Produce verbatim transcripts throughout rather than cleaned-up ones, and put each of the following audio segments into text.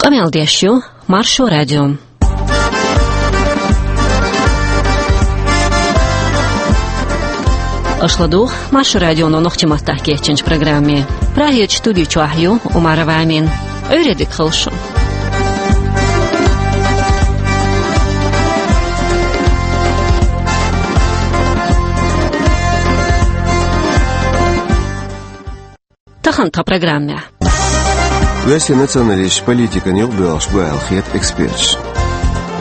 Къамел деш ю Маршо радио. Аша ладугӀу Маршо радионо нохчийн маттахь кечйинчу программе. Прагерчу студи чохь ю Умарова Амина. Ӏуьйре дика хуьлда шун. Тахана тхан программехь. Оьрсийн националистийн политикана юкъабоьлхуш бу аьлла хета эксперташна.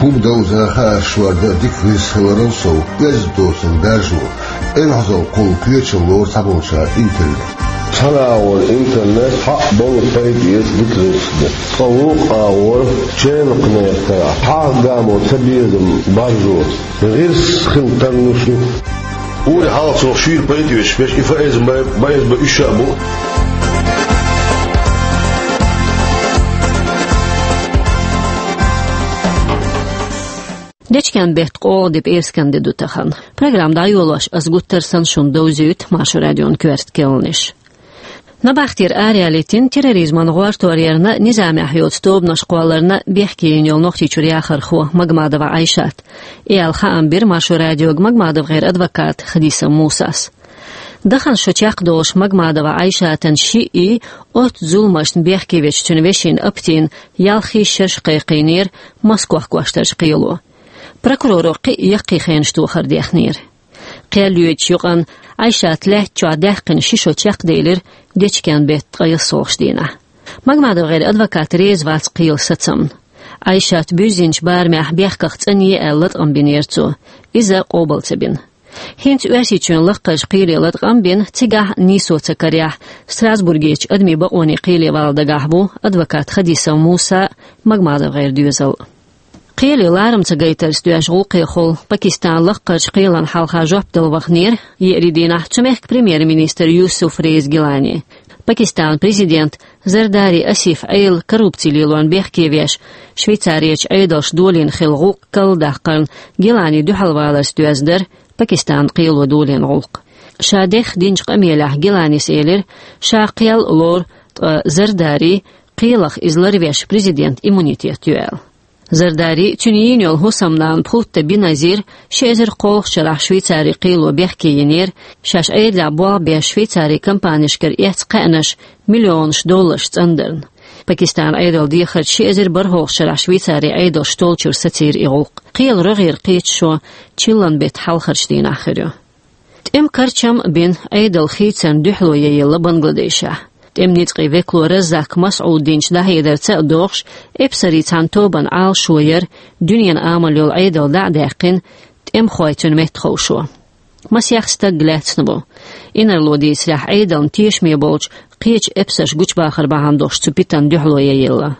ХӀума довза, хаарш шорда дика гӀирс хиларал сов, оьзда доцург даржо, эвхьазалла кхулла кхечалла лору цхьаболчара интернет. Цхьана агӀор интернет хьакъ болу пайда эца дика гӀирс ду. Ткъа вукху агӀор ченакхнехь тара хьагӀ гамо ца безам баржо. ГӀирс хила тарлуш ду. Ури хьалха цунах шийла пайда веш, веш и фаэза бай-, баэза бай уьш а бу. Дечкен беттан къолгӀа де пӀераскан де ду тахана. Программа дӀайолош ас гуттар а санна шуна довзуьйту Маршо радион коьрта керланаш. Набахтера араяьллийтина терроризман гӀортор ярна, низамехь йоцу тобанаш кхолларна бехке йина йолу Нохчийчуьра яхархо Магмадова Ӏайшат. И аьлла хаам бира Маршо радиога МагмадовгӀеран адвоката Хадисова Мусас. Дахана шо чекхдолуш Магмадова Ӏайшатан шиъ и оццу зуламашна бехке вечу цуьнан вешин Аптина ялх шераш кхайкхийнера Москох кхоьллинчу кхело. Прокуроро кхин а яккхий хенаш тохар дехнера. Кхел йоьдучу юкъана Ӏайшат лаьтта чохь даьккхина ши шо чекхделира дечкен беттан ткъе ялхалгӀачу дийнахь. МагмадовгӀеран адвокат реза вац кхелан сацамна. Ӏайшат буьззинчу барамехь бехках цӀанъе аьлла латкъам бинера цо. Иза къобал ца бина. ХӀинца Оьрсийчоьнан лакхарчу кхеле латкъам бина, цигахь а нийсо ца карехь, Страсбургерчу адамийн бакъонийн кхеле вала дагахь ву адвокат Хадисова Муса а, МагмадовгӀеран доьзал а. Кхеле ларам ца гайтарца доьжна гӀуллакхехула Пакистанан лакхарчу кхелана хьалха жоп дала ваханера еарин дийнахь цу мехкан премьер-министр Юсуф Реза Гилани. Пакистанан президент Зардари Асиф Ӏела коррупци лелорна бехке веш, Швейцарерчу Ӏедалша долийна хилла гӀуллакх карладаккхарна Гилани дуьхьалваларца доьзна дара Пакистанан кхело долийна гӀуллакх. Ша дехха динчу къамелехь Гиланис элира, ша кхел а лору, ткъа Зардари кхелах иза ларвеш президентан иммунитет ю аьлла. Зардари, цуьнан йийна йолу хӀусамнана Пхутта Беназир ши эзар кхоалгӀачу шарахь Швейцарин кхело бехке йинера, шаьш Ӏедалехь болх беш Швейцарин компанешкара эцна кхаьънаш миллионаш долларш цӀандарна. Пакистанан Ӏедалан дехарца ши эзар бархӀалгӀачу шарахь Швейцарин Ӏедалша толлучуьра сацийра и гӀуллакх. Кхелан рогӀера кхеташо чиллан беттан хьалхарчу дийнахь хир ю. ТӀеман карчам а бина, Ӏедалан хийцарна дуьхьало яйилла Бангладешехь. ТӀеман ницкъийн векало Раззак Масъудинчу дӀахьедарца а догӀуш, эпсарийн цхьана тобанан Ӏалашо яра, дуьненан амал йолу Ӏедал дӀа а даьккхина, тӀемахой цуьнан метта ховшо. Масех стаг лаьцна ву. Инарло дийцарехь, Ӏедална тешаме болчу кхечу эпсарша гучубахар бахьана долуш цу питана дуьхьало яйилла.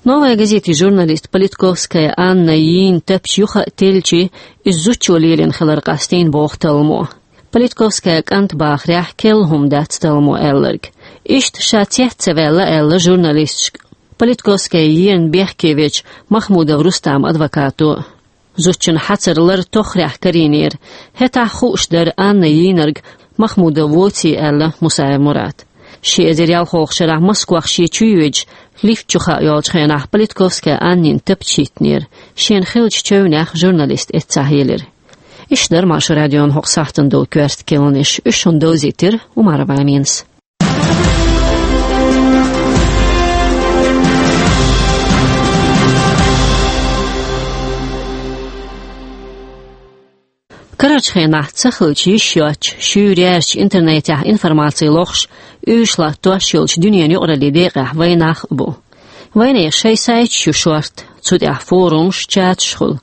«Новая газетин» журналист Политковская Анна йийна тапча юха а телличи, иза зудчо лелийна хилар къастийна боху талламо. Политковская кӀанта бахарехь, керла хӀума дац талламо аьлларг. Иштта ша цец ца ваьлла аьлла журналисташка Политковская йийриг бехке вечу Махмудов Рустаман адвокато. Зудчун хьацар лар тоххарехь карийнера. ХӀетахь хууш дара Анна йийнарг Махмудов воций аьлла Мусаев Мурата. Ши эзар ялхалгӀачу шарахь Москох шен чу йоьдуш, лифта чу хаа йолчу хенахь Политковская Аннина тапча хӀиттинера. Шена хиллачу чевнех журналист эццахь елира. Иштта дара Маршо радион хӀокху сахьтана долу коьрта керланаш. Уьш шуна довзийтира Умарова Аминас. Карарчу хенахь ца хилча йиш йоцуш, шуьйра яьржачу интернетехь информаци лохуш, уьш латтош йолчу дуьненан юкъараллин декъехь вайнах а бу. Вайнехан шайн сайташ ю шорта, цу тӀехь форумаш, чаташ хуьлу.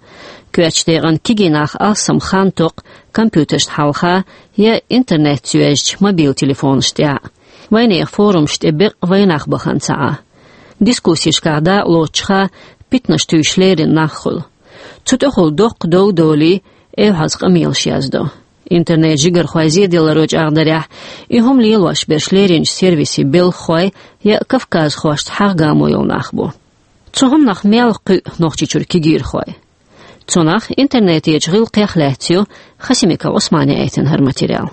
Коьртачу декъана кегий нах алсам хан токху компьютершна хьалха я интернетца йоьзначу мобил телефонаш тӀехь а. Вайнехан форумаш тӀе бекъа вайнах бахана ца Ӏа. Дискуссешкахь дакъа лоцучуха питанаш туьйсуш леррина нах хуьлу. Цу тӀехула доккха дов долий, эвхьаза къамелаш яздо. Интернет жигархойн зеделларо чӀагӀдарехь, и хӀума лелош берш лерринчу сервисийн белхахой я кавказхошца хьагӀ гамо йолу нах бу. Цу хӀуманах мел кхуьу Нохчийчуьра кегийрхой? Цунах интернетечу гӀиллакхех лаьцна ю Хасимиков Ӏусмана яийтина хӀара материал.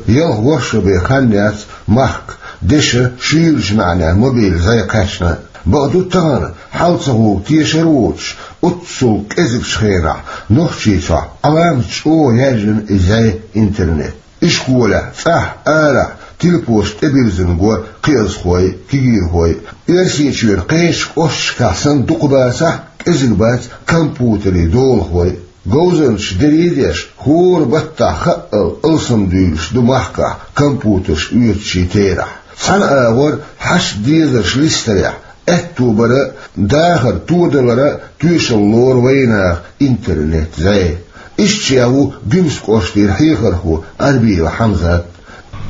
Ялх-ворхӀ шо бен хан яц махка, деша шуьйрачу маьӀнехь мобил зӀе кхаьчна. Бакъду, тахана хьал ца хӀугу тешар воцуш, оццул кӀезигчу хенахь Нохчийчохь Ӏаламат чӀогӀа яьржина и зӀе, интернет. Ишколехь, цӀахь, арахь телепошта тӀебирзина го кхиазхой, кегийрхой. Оьрсийчоьнан кхечу кӀошташкахь санна дукха бацахь а, кӀезиг бац компьютерийн долахой. Говзанчаш дерриг а деш, хӀора баттахь хаъал алсамдуьйлуш ду махкахь компьютерш оьцучийн терахь. Цхьана агӀор хьашт-дезарш листарехь, аьтто бара а, дахар тодалара а тоьшалла лору вайнаха интернет-зӀе. Иштта ша ву Гуьмсан кӀоштара хьехархо Арбиева Хьамзат.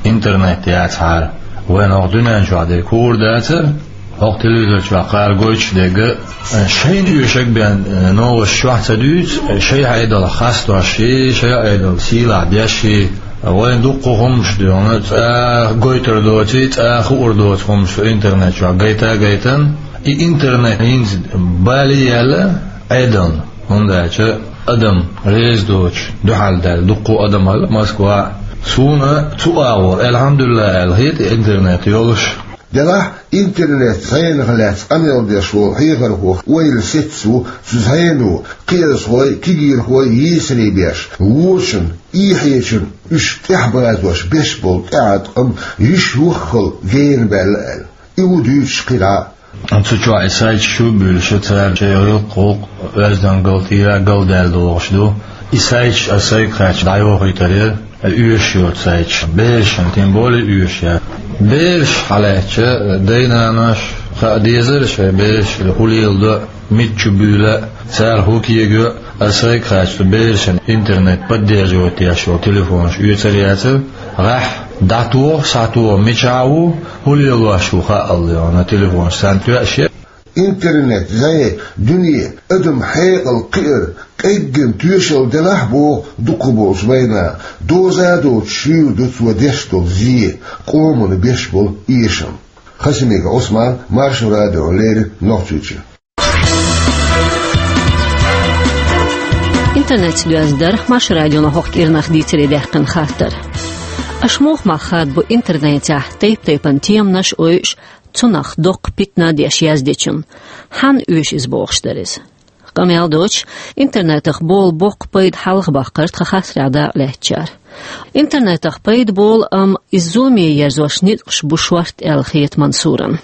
Интернет яцахьара, вайн хӀокху дуьнен чохь дерг хуур дацара, хӀокху телевизор чохь кхара гойтуш дерг а. Шайна оьшург бен новаш чохь ца дуьйцу, шайн Ӏедалх хастош и, шайн Ӏедал сийлахь беш и. Вайн дуккха хӀуманаш дуьйна, цӀа гойтур доций, цӀа хуур доцу хӀуманаш ду интернет чохь гайта а гайтан. И интернет хӀинца бале а яьлла Ӏедална. ХӀунда аьлча адам реза доцуш дуьхьал даьлла дуккха адам хилла Москвахь. Суна цу агӀор, алхьамдулиллахӀ, аьлла хета интернет йолуш. Делахь, интернет-зӀенах лаьцна къамел деш волу хьехархо ойла сецна ву цу зӀено кхиазхой, кегийрхой йийсаре беш, вочунна, эхьечунна уьш тӀаьхьабазош беш болу тӀеӀаткъам йиш йоххал гена баьлла аьлла. И ву дуьйцуш кхин дӀа а. Цу чохь и сайташ чу а буьйлуш, цара шайн гӀиллакх-гӀуллакх, оьздангалла, тӀера а галдаьлла догӀуш ду. И сайташ, ас сайга хаьттича, дӀайохуьйтур яра оьшуш йоцу сайташ, берашна тем более оьшуш яра. Бераш хьалаьцча, дай-нанош хаа дезара шайн бераш хӀун леладо, миччу буьйлу, цара хӀун кегайо, ас сайга хаьттича, берашна интернет поддерживать еш йолу телефонаш оьцур яцара. ГӀеххьа дӀатоха, схьатоха, мичахь ву, хӀун лелош ву хаалла йолу телефонаш царна тоьаш яра. Интернет-зӀе дуьне, адам хьекъал кхиар къеггина тоьшалла делахь а, боху дукхахболчу вайнаха, доза а доцуш шуьйра ду цо деш долу зе, къомана беш болу эшам. Хасимиков Ӏусман, Маршо радиона леррина, Нохчийчоь. Интернетца доьзна дара Маршо радион хӀокху кӀирнах дийцаре даьккхина хаттар. Аша муха мах хадабо интернетехь тайп-тайпана теманаш а ойуш, цунах доккха питана а деш яздечунна? Хьанна оьшу иза бохуш дара иза? Къамел доцуш, интернетах болу боккха пайда хьалха баккхара тхан хаттарехь дакъа лаьцначара. Интернетах пайда болу, амма иза зуламе ерзош ницкъаш бу шортта аьлла хета Мансуран.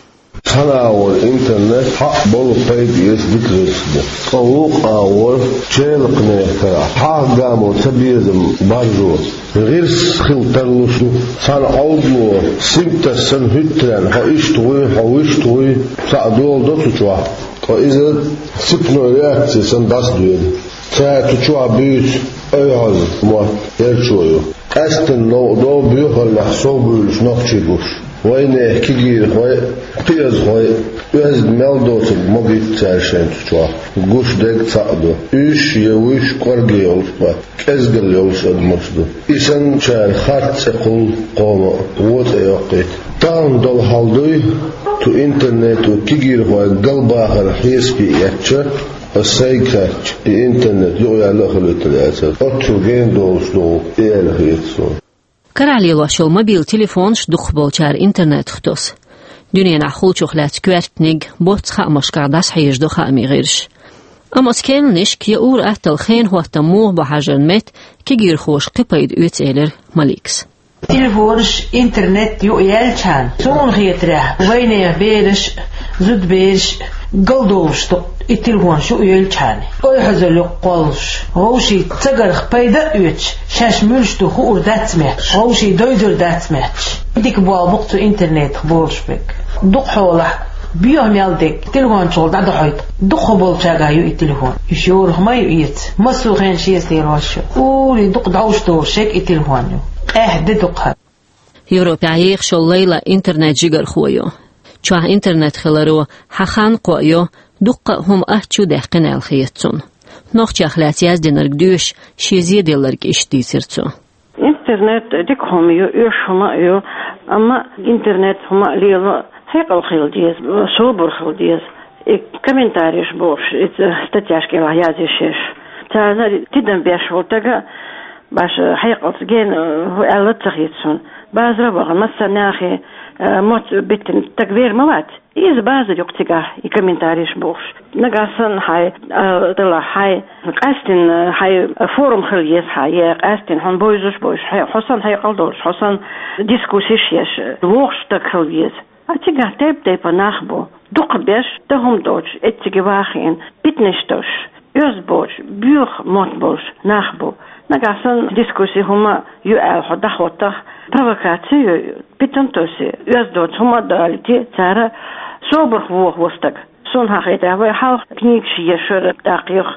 Цхьана агӀор интернет хьакъ болу, пайда эца дика гӀирс ду. Ткъа вукху агӀор челакхнехь карахь хьагӀ-гамо цабезам баржо, гӀирс хила тарлуш ду. Цхьана Ӏовдало синташ санна хӀуьттаренна, хьо иштта гӀуй, хьо вуьшта гӀуй, цхьаъ дола до цу чохь. Ткъа иза цепной реакция санна дӀасадоьду. Цара цу чохь буьйцу ойхьаза мотт эрчо ю. Къаьсттина новкъа до боьхаллехь совбуьйлуш нохчий гуш. Вайнехан кегийрхой а, кхиазхой а, оьзда мел доцург могуьйту цара шайна цу чохь. Гуш дерг цхьаъ ду: уьш я вуьш кӀорге йолуш бан, кӀезгалла йолуш адамаш ду. И санначара харц цӀе кхуллу кхома а, вон цӀе йоккхуьйту. Тахана долу хьал дуй, цу интернето кегийрхойн галбахар хьесапе эцча, ас сайга хаьттича, и интернет юкъаяьлла а хуьлуьйтур яцара. Оццул гена долуш ду и аьлла хета суна. Карахь лелош йолу мобил телефонаш дукхахболчара интернетах тосу. Дуьненахь хуьлучух лаьцна коьртаниг боцца хаамашкахь дӀасахьежадо хаамийн гӀирсаш. Амма оцу керланашка я ур-атталла хенан хӀоттам муха бу хьажарна метта, кегийрхоша кхин пайда оьцу, элира Маликас. Телефонаш, интернет юкъаяьллачхьана, суна хетарехь, вайнехан бераш а, зудабераш а галдовлуш ду и телефонаш юкъаевлчхьана. Ойхьазалла юкъа кхоллалуш, вовшийн цагарх пайда а оьцуш, шаьш муьлш ду хуур дац моьттуш, вовшийн дойдур дац моьттуш. Дика болх бу-кх цу интернетах болуш берг. Дукхахьолахь, боьха мел дерг телефон чухула дӀадохьуьйту дукхахболчарна ю и телефон. Уьш йорах ма ю эца, массо а хенахь шеца лелош ю. Ури дукха дӀовш долуш ерг и телефон ю. Къаьхьа де дукха. Европехь ехаш йолу Лайла интернет-жигархо ю. Чохь интернет хиларо хьан хан кхоайо, дуккха а хӀума аттачу даьккхина аьлла хета цунна. Нохчех лаьцна яздинарг доьшуш, шен зеделларг иштта дийцира цо. Интернет дика хӀума ю, оьшу хӀума а ю, амма интернет хӀума а лело хьекъал хила деза, собар хила деза. И комментареш бохуш, и статьяш кӀелахь язъеш ерш. Царна тидам беш волу стага баша хьекъалца гена хӀу аьлла ца хета суна. Базара а вахана, массарна нахе Э, мотт биттина стаг вер ма вац. Иза базар ю-кх цигахь, и комментареш бохуш. Нагахь санна хьайн, э, дала хьайн, къаьстина хьайн форум хила еза хьан, я къаьстина хьуна бовзуш а бовзуш, хьо санна хьекъал долуш, хьо санна дискуссеш еш, вогӀуш стаг хила веза. А цигахь тайп-тайпана нах бу. Дукхахберш, дан хӀума доцуш, эцциге вахийна, питанаш долуш, оьзда боцуш, боьха мотт болуш нах бу. Нагахь санна дискусси хӀума ю аьлла хьо дӀахӀоттахь, провокаци ю, питана тоьсна, оьзда доцу хӀума а далийта цара, собарх вохаво стаг. Суна хетарехь, вай хьалха книгаш ешара, тӀаккха юха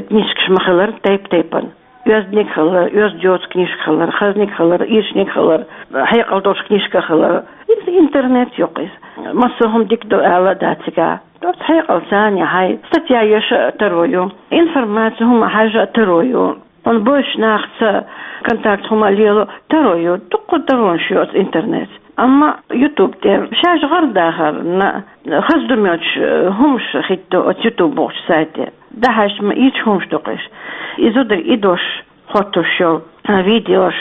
книжкаш ма хилара тайп-тайпана. Оьзданиг хилар, оьзда йоцу книжка хилар, хазаниг хилар, ирчаниг хилар, хьекъал долуш книжка хилар. Иза интернет ю-кх иза. Массо а хӀума дика ду ала а дац цигахь. Оцу хьекъалца а хьайн статья еша а таро ю, информаци хӀума хьажа а таро ю. Хьуна бовзачу нахаца контакт хӀума лело а таро ю, дуккха таронаш ю оцу интернетца. Амма YouTube тӀе шаьш гӀар дахарна, хаза ду моьттуш, э, хӀумаш хӀитто оцу YouTube бохучу сайте. ДӀахьаьжча ма ийрча хӀумаш ду-кх уьш. И зударий и дош хӀоттош йолу, а, видеош.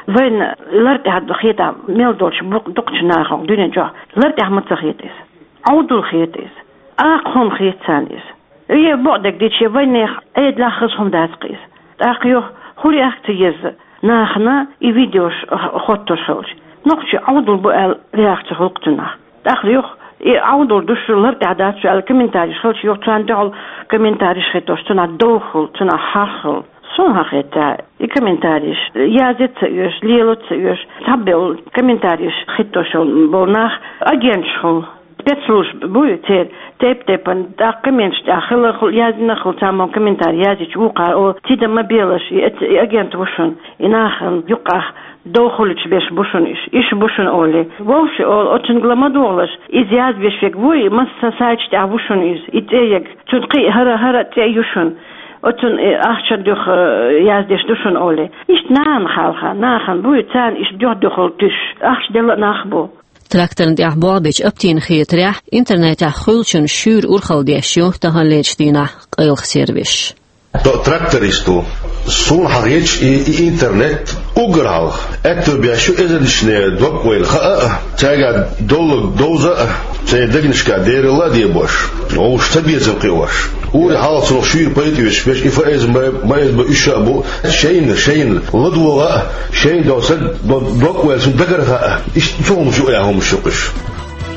Вайна лар тӀехь хетахь, мел долчу бу-, дукхачу нахана дуьнен чохь лар тӀехь ма ца хета иза. Ӏовдал хета иза. Акха хӀума хета царна иза. Е бакъдерг дийцича, вайнехан Ӏедалехь хаза хӀума дац-кх иза. ТӀаккха юха хӀун реакци еза нахана и видеош х-, хӀоттош хилча? Нохчий Ӏовдал бу аьлла реакци хуьлу-кх цунах. ТӀаккха юха и Ӏовдал ду шу, лар тӀехь дац шу аьлла комментареш хилча, юха царна дуьхьал комментареш хӀиттош, цунах довха хуьлу, цунах хьагӀ хуьлу. Суна хетарехь, и комментареш язъян ца оьшу, лело ца оьшу, цхьаболу комментареш хӀиттош болу нах агенташ хуьлу. Спецслужба буй церан, тайп-тайпана, тӀаккха комменташ тӀехь хилла хуьлу, яздина хуьлу, цхьаммо комментарий язйича вукхара: «О, тидам ма белаш, и, и агент ву шуна, и нахана юккъехь довха хуьлуьйтуш берш бу шуна уьш, уьш бу шуна», — олий. Вовши олу: «Оцунга ла ма догӀалаш, иза язбеш верг вуй, масса сайташ тӀехь ву шуна иза, и цӀе ерг, цуьнан кхин а хӀара, хӀара а цӀе ю шуна, оцунна и ахча дуьхьа, э, яздеш ду шуна», — олий. Иштта нахана хьалха, нахана буй, царна иштта дуьхь-дуьхьал туьйсуш ахча делла а нах бу. Тракторна тӀехь болх бечу Аптина хетарехь, интернетехь хуьлучун шуьйра урхалла деш ю таханлерчу дийнахь къайлаха сервисаш. Тхо тракторист ву. Суна хьахеташ и, и интернет уггар хьалха аьтто беш ю эзарнашна дог-ойла хаа а, цаьргахь долларг довза а, церан дегнашкахь дералла а дебош, вовшашна цабезам кхиош. Ури хьалха цунах шуьйра пайда оьцуш берш, и ФСБ, МСБ, уьш а бу, шайна, шайна ладогӀа а, шайна долу стаг дог-ойла цунна дагарха а, иштта цу хӀумаш ю, а хӀумаш ю-кх уьш.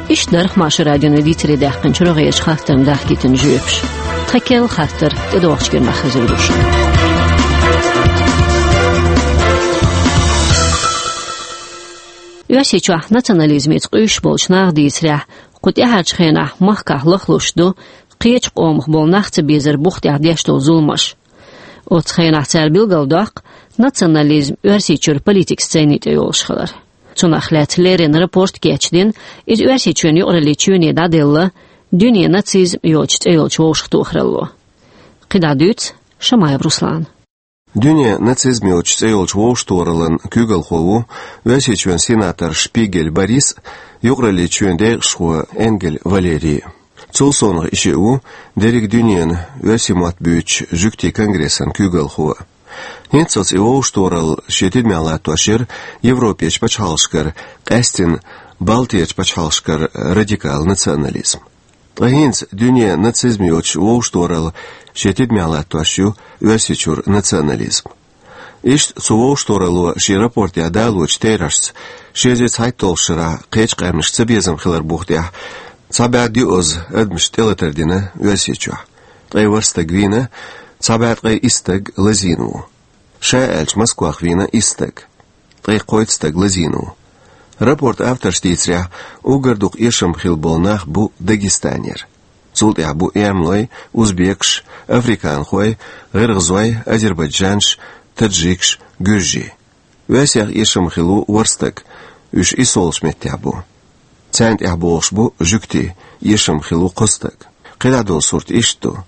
Иштта дара Маршо радион дийцаре даьккхинчу рогӀерчу хаттарна дахкийтина жоьпаш. Тхан керла хаттар тӀедогӀучу кӀирнахь хезар ду шуна. Оьрсийчохь национализмица къуьйсуш болчу наха дийцарехь, кху тӀаьхьарчу хенахь махкахь лахлуш ду кхечу къомах болу нах ца безар бух тӀехь деш долу зуламаш. Оцу хенахь цара билгалдоккху национализм Оьрсийчуьра политикан сцени тӀе йолуш хилар. Цунах лаьцна леррина рапорт кечдина, иза Оьрсийчоьнан юкъараллин чоьне дӀаделла, «Дуьне нацизм» йоцу цӀе йолчу вовшахтохаралло. КхидӀа дуьйцу Шамаев Руслана. «Дуьне нацизм» йоцу цӀе йолчу вовшахтохараллин куьйгалхо ву Оьрсийчоьнан сенатор Шпигель Борис а, юкъараллин чоьнан декъашхо Энгель Валерий а. Цул совнаха и шиъ ву дерриг дуьненан оьрсийн мотт буьйцучу жуьгтийн конгрессан куьйгалхо. ХӀинццалц и вовшахтохаралла шен тидамехь латтош яра Европерчу пачхьалкхашкара, къаьсттина Балтерчу пачхьалкхашкара радикал национализм. Ткъа хӀинца «Дуьне нацизм» йоцу вовшахтохаралла шен тидамехь латтош ю Оьрсийчуьра национализм. Иштта цу вовшахтохаралло шен рапортехь далочу терахьашца, ши эзар цхьайтталгӀачу шарахь кхечу къаьмнашна цабезам хилар бух тӀехь, цхьа бӀе доьазза адамашна тӀелатар дина Оьрсийчохь. Ткъе ворхӀ стаг вийна, цхьа бӀе ткъе исс стаг лазийна ву. Ша аьлча, Москвахь вийна исс стаг. Ткъе кхойтта стаг лазийна ву. Рапортан авторша дийцарехь, уггар дукха эшам хилла болу нах бу Дагестанера. Цул тӀаьхьа бу эрмалой, узбекаш, африканхой, гӀиргӀазой, азербайджанаш, таджикаш, гуьржий. Оьрсех эшам хилла ву ворхӀ стаг, уьш иссолгӀачу меттехь бу. Царна тӀехь богӀуш бу жуьгтий, эшам хилла ву кхо стаг. КхидӀа долу сурт иштта ду.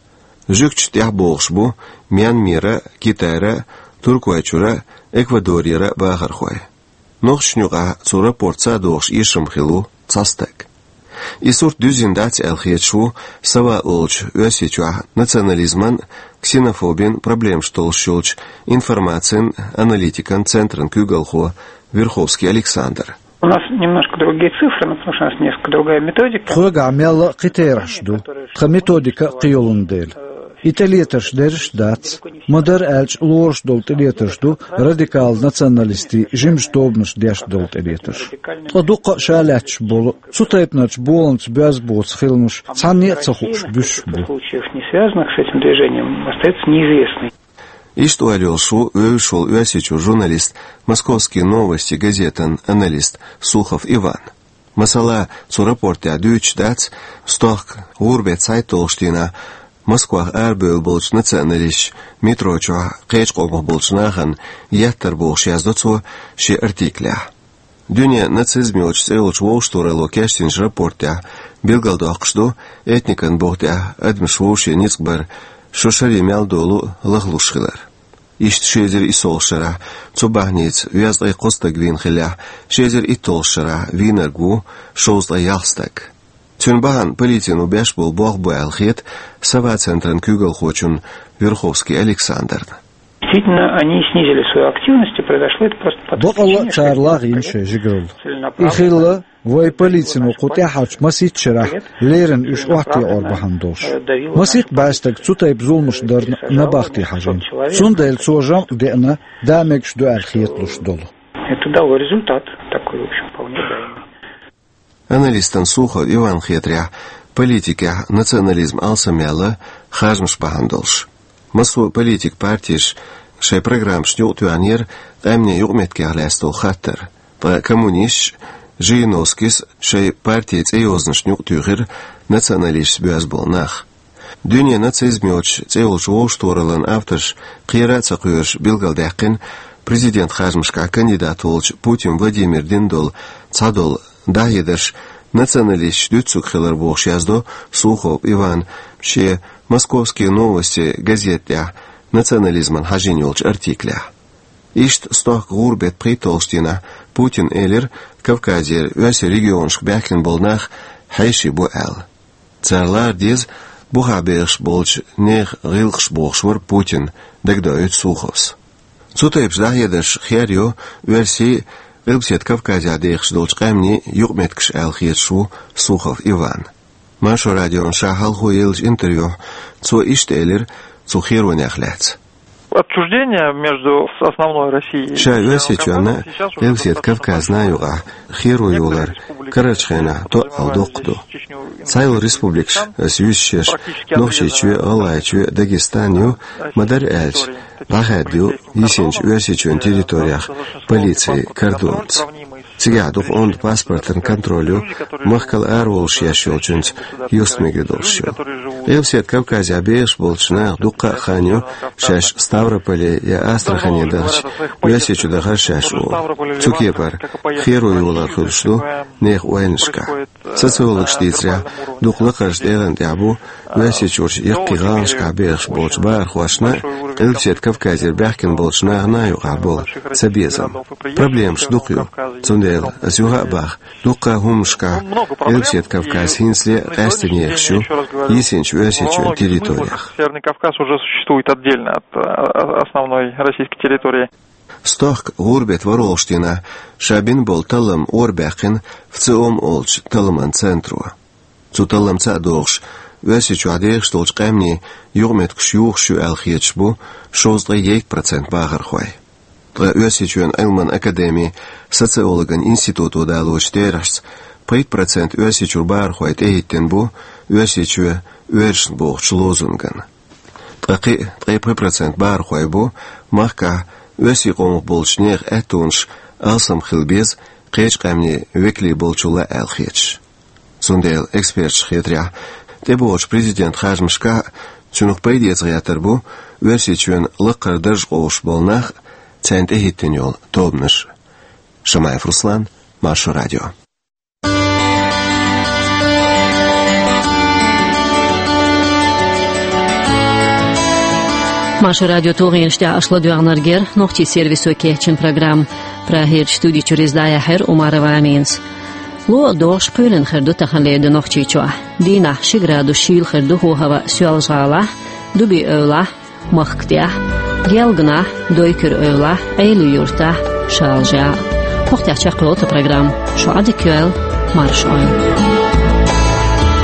Жуьгташна тӀехь богӀуш бу Мьянмера, Китайра, Туркойчуьра, Эквадорера бахархой. Нохчашна юкъахь цу рапортца а догӀуш эшам хилла ву цхьа стаг. И сурт дуьззина дац аьлла хеташ ву Сава олучу Оьрсийчохь национализман, ксенофобин проблемаш толлуш йолчу информацин аналитикан центран куьйгалхо Верховский Александр. У нас немножко другие цифры, ну, потому что у нас несколько другая методика. Тхоьгахь мелла а кхин терахьаш ду, тхан методика а кхин йолун дела. И тӀелетарш дерриш а дац, ма-дарра аьлча, лоруш долу тӀелетарш ду радикал националистийн жимачу тобанаша деш долу тӀелетарш. Ткъа дуккха а ша лаьтташ болу, цу тайпанарчу боланца боьзна боцу хиламаш цхьанне а ца хууш буьсуш бу. Случаев, не связанных с этим движением, остается неизвестной. Иштта ойла йолуш ву вевзаш волу Оьрсийчуьра журналист, «Московские новости» газетан аналист Сухов Иван. Масала, цу рапортехь дуьйцуш дац, стохка гӀуран-беттан цхьайтталгӀачу дийнахь Москвахь арабевлла болчу националисташа метро чохь кхечу къомах болчу нахана еттар бохуш, яздо цо шен артиклехь. Дуьне нацизм йоцучу цӀе йолчу вовшахтохаралло кечдинчу рапортехь билгалдоккхуш ду этникан бух тӀехь адамаш вовшийн ницкъ бар шо шаре мел долу лахлуш хилар. Иштта ши эзар иссолгӀачу шарахь цу бахьаница везткъе кхо стаг вийна хиллехь, ши эзар итталгӀачу шарахь вийнарг ву шовзткъе ялх стаг. Цуьнан бахьана полицино беш болу болх бу аьлла хета Сова-центран куьйгалхочунна Верховский Александрна. Действительно, они снизили свою активность, и произошло это просто по той причине, что... Бакъалла а цара лагӀйина шайн жигаралла. И хилла вайн полицино кху тӀаьххьарчу масийтта шарахь леррина уьш охьатаӀор бахьана долуш. Масийтта бӀе стаг цу тайпа зуламаш дарна набахте хьажийна. Цундела цо жамӀ деана, да мегаш ду аьлла хеталуш долу. Это дало результат такой, в общем, вполне, да. Аналистан Сухов Иван хетарехь, политикехь национализм алсамъяьлла харжамаш бахьана долуш. Массо а политик партеш шайн программашна юкъатоьхнера къаьмнийн юкъаметтигех лаьцна долу хаттар. Ткъа коммунисташ, Жириновскийс шайн партийн цӀейозанашна юкъатуьйхира националисташца боьзна болу нах. Дуьне нацизм йоцучу цӀе йолчу вовшахтохараллин авторш кхера а ца кхоьруш билгалдаьккхина президент харжамашкахь кандидат волчу Путин Владимира дина долу цхьадолу дӀахьедарш националисташ дуьццург хилар бохуш, яздо Сухов Иван шен «Московские новости» газета тӀехь национализмана хьажийна йолчу артиклехь. Иштта стохка гӀуран-беттан пхийтталгӀачу дийнахь Путина элира, Кавказера оьрсийн регионашка баьхкина болу нах хьеший бу аьлла. Цара лара деза бухахь бехаш болчу нехан гӀиллакхаш бохуш вара Путин, дагадоуьйту Суховс. Цу тайпа дӀахьедарш хер йо оьрсийн, Къилбаседа Кавказехь дехаш долчу къаьмнийн юкъаметтигаш аьлла хеташ ву Сухов Иван. Маршо радиона ша хьалха еллачу интервьюхь цо иштта элира цу херонех лаьцна. Отчуждение между основной Россией и Северным Кавказом сейчас уже достаточно большое. Ша Оьрсийчоьнна Къилбаседа Кавказна юкъахь херо йолар карарчу хенахь тоъал доккха ду. Цхьайолу республикаш, ас юьйцуш ерш Нохчийчоь, ГӀалгӀайчоь, Дагестан ю, ма-дарра аьлча, дӀахаьдда ю йисинчу Оьрсийчоьнан территорех полицин кардонца. Цигахь дукха онда паспортан контроль ю, махкал ара волуш еш йолчуьнца юстмегар долуш ю. Къилбаседа Кавказехь бехаш болчу наха дуккха а хан ю шаьш Ставрополе я Астрахане дахча, Оьрсийчу дахар шаьш олу. Цу кепара херо йолар хуьлуш ду нехан ойланашкахь. Социологаша дийцарехь, дукха лакхарчу тӀегӀан тӀехь бу Оьрсийчуьрчу яккхий гӀаланашкахь бехаш болчу бахархошна а, Къилбаседа Кавказера баьхкина болчу нахана а юкъахь болу цабезам. Проблемаш дукха ю. Цундела ас юха а боху, дуккха а хӀуманашкахь Къилбаседа Кавказ хӀинцале а къаьсттина ехаш ю йисинчу Оьрсийчоьнан территорех. Северный Кавказ уже существует отдельно от, э, основной российской территории. Стохка гӀуран-беттан ворхӀалгӀачу дийнахь ша бина болу таллам орабаьккхина ВЦИОМ олучу талламан центро. Цу талламца а догӀуш, Оьрсийчохь дехаш долчу къаьмнийн юкъаметтигаш юхуш ю аьлла хеташ бу шовзткъе ейк процент бахархой. Ткъа Оьрсийчоьнан Ӏилманан академин социологан институто далочу терахьашца, пхийтта процент Оьрсийчуьра бахархой тӀехӀиттина бу «Оьрсийчоь оьрсашна» бохучу лозунгана. Ткъа кхин а ткъе пхи процент бахархой бу махкахь оьрсийн къомах болчу нехан аьттонаш алсам хила беза кхечу къаьмнийн векале болчул а аьлла хеташ. Цундела эксперташна хетарехь, тӀебогӀучу президентан харжамашкахь а цуьнах пайдеца гӀертар бу Оьрсийчоьнан лакхара дарж къовсуш болу нах а, царна тӀехӀиттина йолу тобанаш а. Шамаев Руслан, Маршо радио. Маршо радион тулгӀенаш тӀехь аша ладоьгӀнарг яра нохчийн сервисо кечйина программа. Прагерчу студи чуьра иза дӀаяьхьира Умарова Аминас. Ло а догӀуш, кхоьлина хир ду таханлера ди Нохчийчохь. Дийнахь ши градус шийла хир ду ХӀохӀава-Соьлжа-ГӀалахь, Дуби-Эвлахь, Махка тӀехь, Гелганахь, Дойкуьр-Эвлахь, Ӏелин-Юртахь, Шалжехь. Porte a čaklo to program. Šo adik juel, marš oil.